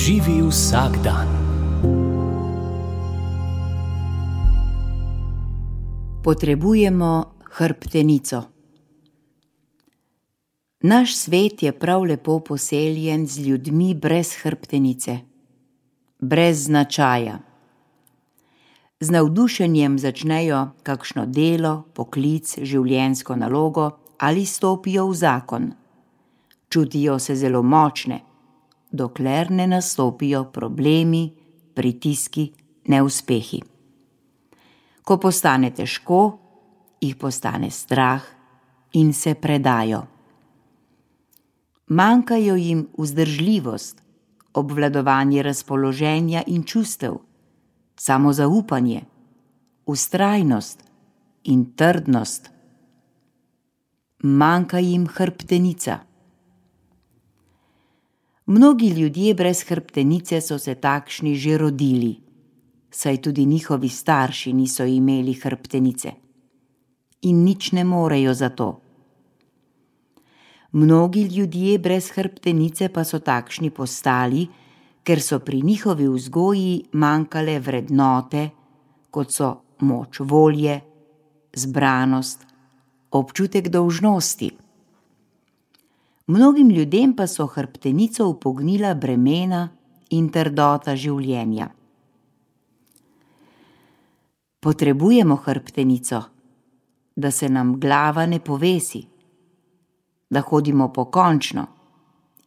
Živi vsak dan. Potrebujemo hrbtenico. Naš svet je prav lepo poseljen z ljudmi brez hrbtenice, brez značaja. Z navdušenjem začnejo kakšno delo, poklic, življenjsko nalogo ali stopijo v zakon. Čutijo se zelo močne, dokler ne nastopijo problemi, pritiski, neuspehi. Ko postane težko, jih postane strah in se predajo. Manjkajo jim vzdržljivost, obvladovanje razpoloženja in čustev, samozaupanje, vztrajnost in trdnost. Manjka jim hrbtenica. Mnogi ljudje brez hrbtenice so se takšni že rodili, saj tudi njihovi starši niso imeli hrbtenice in nič ne morejo za to. Mnogi ljudje brez hrbtenice pa so takšni postali, ker so pri njihovi vzgoji manjkale vrednote, kot so moč volje, zbranost, občutek dolžnosti. Mnogim ljudem pa so hrbtenico upognila bremena in trdota življenja. Potrebujemo hrbtenico, da se nam glava ne povesi, da hodimo pokončno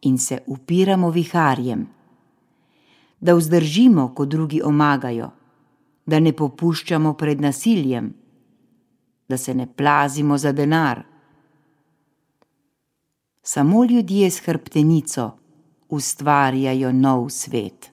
in se upiramo viharjem, da vzdržimo, ko drugi omagajo, da ne popuščamo pred nasiljem, da se ne plazimo za denar. Samo ljudje s hrbtenico ustvarjajo nov svet.